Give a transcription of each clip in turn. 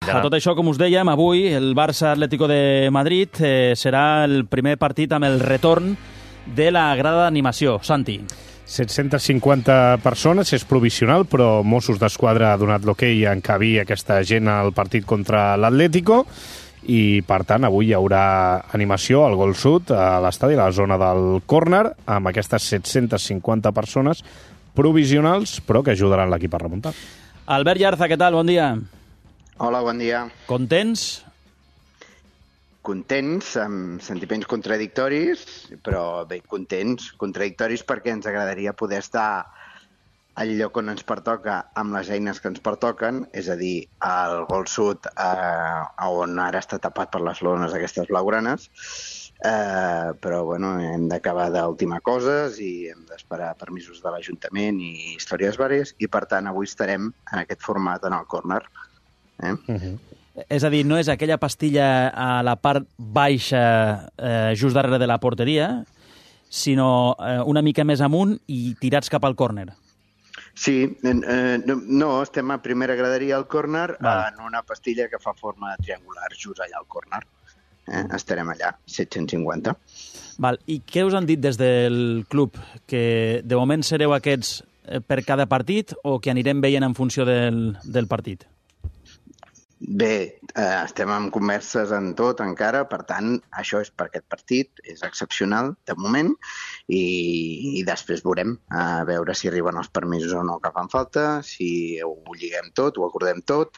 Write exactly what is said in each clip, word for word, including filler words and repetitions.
A tot això, com us dèiem, avui el Barça Atlético de Madrid eh, serà el primer partit amb el retorn de la grada d'animació. Santi. set-centes cinquanta persones, és provisional, però Mossos d'Esquadra ha donat l'hoquei a encabir aquesta gent al partit contra l'Atlético i, per tant, avui hi haurà animació al Gol Sud, a l'estadi, a la zona del córner, amb aquestes set-centes cinquanta persones provisionals, però que ajudaran l'equip a remuntar. Albert Llarza, què tal? Bon dia. Hola, bon dia. Contents? Contents, amb sentiments contradictoris, però bé, contents, contradictoris perquè ens agradaria poder estar al lloc on ens pertoca amb les eines que ens pertoquen, és a dir, al Gol Sud, eh, on ara està tapat per les lones aquestes blaugranes, eh, però bueno, hem d'acabar d'ultimar coses i hem d'esperar permisos de l'Ajuntament i històries vàries, i per tant avui estarem en aquest format en el córner. Eh? Uh-huh. És a dir, no és aquella pastilla a la part baixa, eh, just darrere de la porteria, sinó eh, una mica més amunt i tirats cap al córner. Sí, eh, no, estem a primera graderia al córner, en una pastilla que fa forma triangular, just allà al córner. Eh? Estarem allà, set-cents cinquanta. Val. I què us han dit des del club? Que de moment sereu aquests per cada partit o que anirem veient en funció del, del partit? Bé, eh, estem en converses en tot encara, per tant, això és per aquest partit, és excepcional de moment, i, i després veurem a veure si arriben els permisos o no que fan falta, si ho lliguem tot, ho acordem tot,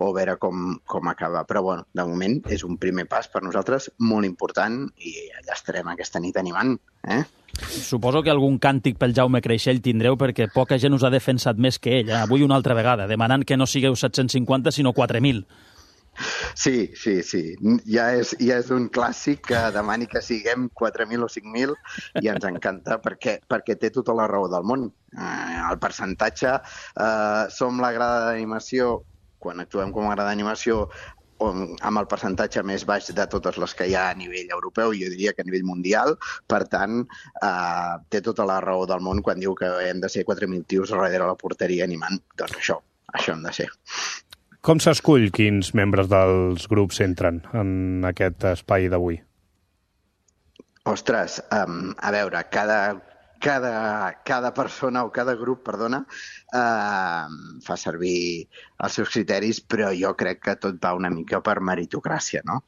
o veure com, com acaba. Però, bueno, de moment és un primer pas per nosaltres molt important i allà estarem aquesta nit animant, eh? Suposo que algun càntic pel Jaume Creixell tindreu perquè poca gent us ha defensat més que ell, eh? Avui una altra vegada, demanant que no sigueu set-cents cinquanta sinó quatre mil. Sí, sí, sí. Ja és, ja és un clàssic que demani que siguem quatre mil o cinc mil i ens encanta perquè, perquè té tota la raó del món. Eh, el percentatge, eh, som la grada d'animació, quan actuem com a grada d'animació, amb el percentatge més baix de totes les que hi ha a nivell europeu, jo diria que a nivell mundial, per tant, eh, té tota la raó del món quan diu que hem de ser quatre mil tios darrere la porteria animant. Doncs això, això hem de ser. Com s'escull quins membres dels grups entren en aquest espai d'avui? Ostres, um, a veure, cada... Cada, cada persona o cada grup, perdona, eh, fa servir els seus criteris, però jo crec que tot va una mica per meritocràcia, no?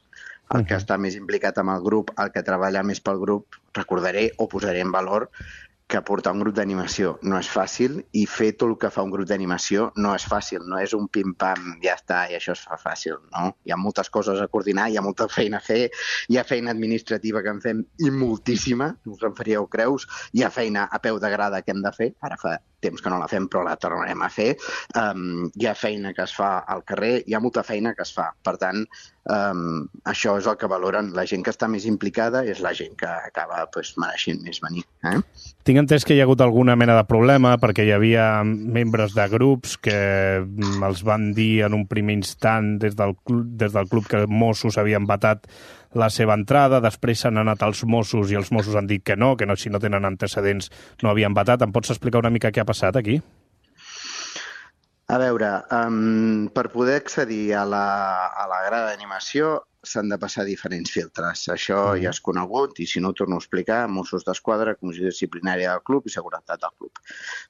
El que està més implicat amb el grup, el que treballa més pel grup, recordaré o posaré en valor que portar un grup d'animació no és fàcil i fer tot el que fa un grup d'animació no és fàcil, no és un pim-pam, ja està, i això es fa fàcil, no? Hi ha moltes coses a coordinar, hi ha molta feina a fer, hi ha feina administrativa que en fem i moltíssima, no us en faríeu creus, hi ha feina a peu de grada que hem de fer, ara fa temps que no la fem però la tornarem a fer, um, hi ha feina que es fa al carrer, hi ha molta feina que es fa, per tant, um, això és el que valoren, la gent que està més implicada és la gent que acaba pues, mereixent més venir. Eh? Tinc entès que hi ha hagut alguna mena de problema perquè hi havia membres de grups que els van dir en un primer instant des del club, des del club que Mossos havien vetat la seva entrada, després s'han anat als Mossos i els Mossos han dit que no, que no, si no tenen antecedents no havien vetat. Em pots explicar una mica què ha passat aquí? A veure, um, per poder accedir a la, a la grada d'animació s'han de passar diferents filtres. Això mm. ja és conegut i si no ho torno a explicar, Mossos d'Esquadra, Comissió Disciplinària del club i Seguretat del club.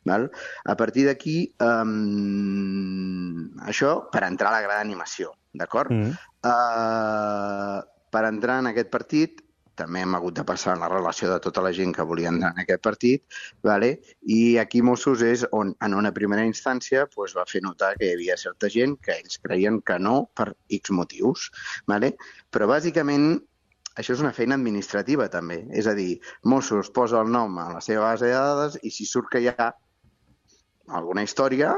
Val? A partir d'aquí, um, això per entrar a la grada d'animació, d'acord? Mm. Uh, per entrar en aquest partit també hem hagut de passar la relació de tota la gent que volia entrar en aquest partit, vale? I aquí Mossos és on, en una primera instància, pues, va fer notar que hi havia certa gent que ells creien que no per X motius. Vale? Però bàsicament això és una feina administrativa també, és a dir, Mossos posa el nom a la seva base de dades i si surt que hi ha alguna història,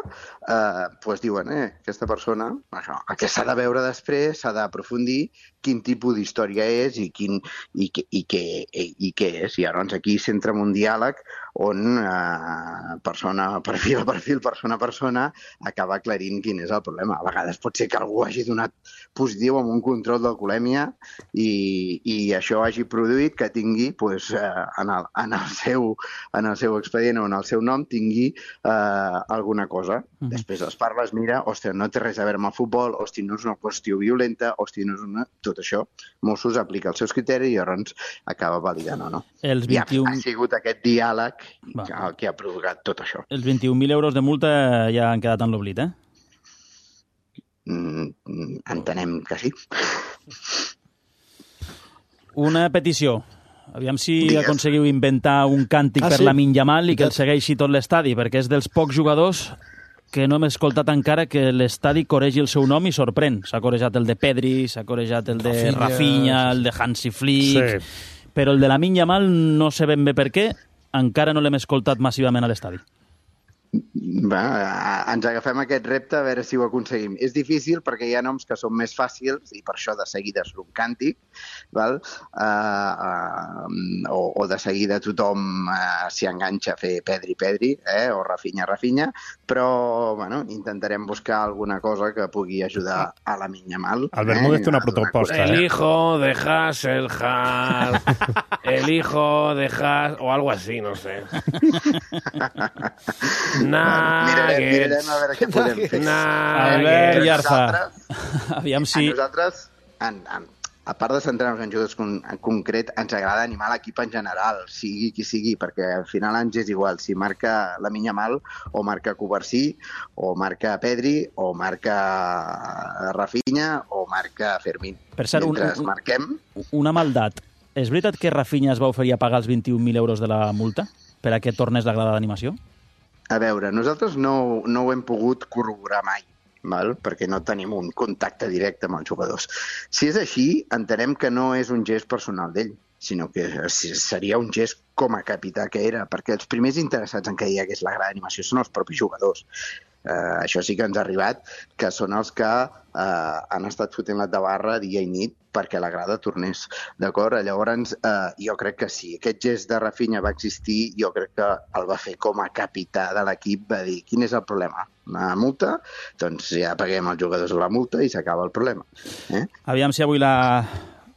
eh, doncs diuen, eh, aquesta persona, això, el que s'ha de veure després, s'ha d'aprofundir quin tipus d'història és i, quin, i, i, què, i, i què és. I llavors aquí s'entra en un diàleg on eh, persona, perfil a perfil, persona a persona, acaba aclarint quin és el problema. A vegades pot ser que algú hagi donat positiu amb un control d'alcoholèmia i, i això hagi produït que tingui, pues, eh, en, el, en, el seu, en el seu expedient o en el seu nom, tingui eh, alguna cosa. Mm-hmm. Després els parles, mira, hòstia, no té res a veure amb el futbol, hòstia, no és una qüestió violenta, hòstia, no és una... Tot això, Mossos aplica els seus criteris i llavors acaba validant o no. Els vint-i-un... I ha, ha sigut aquest diàleg el que ha provocat tot això. Els vint-i-un mil euros de multa ja han quedat en l'oblit, eh? Mm, entenem que sí. Una petició. Aviam si Digues. aconseguiu inventar un càntic ah, per sí? Lamine Yamal i que el segueixi tot l'estadi, perquè és dels pocs jugadors que no hem escoltat encara que l'estadi coregi el seu nom i sorprèn. S'ha corejat el de Pedri, s'ha corejat el de Rafinha, Rafinha el de Hansi Flick, sí. Però el de Lamine Yamal no sé ben bé per què, encara no l'hem escoltat massivament a l'estadi. Va, ens agafem aquest repte a veure si ho aconseguim. És difícil perquè hi ha noms que són més fàcils i per això de seguida és un càntic, val? Uh, uh, o, o de seguida tothom uh, s'hi enganxa a fer Pedri, Pedri, eh? O Rafinha, Rafinha, però bueno, intentarem buscar alguna cosa que pugui ajudar a Lamine Yamal. El Bermúdez té una proposta. El hijo de Hasselhard, el hijo de Has... o algo así, no sé. Mirarem, mirarem a veure què podem fer. Albert Yarza, aviam si... A nosaltres, en, en, a part de centrar-nos en jugadors con, en concret, ens agrada animar l'equip en general, sigui qui sigui, perquè al final ens és igual si marca Lamine Yamal o marca Cubarsí, o marca Pedri, o marca Rafinha, o marca Fermín. Per cert, Mentre un, marquem... una maldat. És veritat que Rafinha es va oferir a pagar els vint-i-un mil euros de la multa per a que tornés la grada d'animació? A veure, nosaltres no, no ho hem pogut corroborar mai, val? Perquè no tenim un contacte directe amb els jugadors. Si és així, entenem que no és un gest personal d'ell, sinó que seria un gest com a capità que era, perquè els primers interessats en que hi hagués la grada d'animació són els propis jugadors. Uh, això sí que ens ha arribat, que són els que uh, han estat fotent la tabarra dia i nit perquè la grada tornés, d'acord? Llavors, uh, jo crec que sí, aquest gest de Rafinha va existir, jo crec que el va fer com a capità de l'equip, va dir, quin és el problema? Una multa? Doncs ja paguem als jugadors la multa i s'acaba el problema. Eh? Aviam si avui la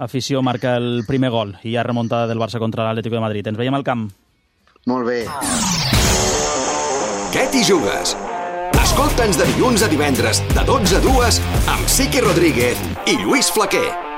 afició marca el primer gol i hi ha remuntada del Barça contra l'Atlético de Madrid. Ens veiem al camp. Molt bé. Què t'hi jugues? Escolta'ns de dilluns a divendres, de dotze a dues, amb Siqui Rodríguez i Lluís Flaquer.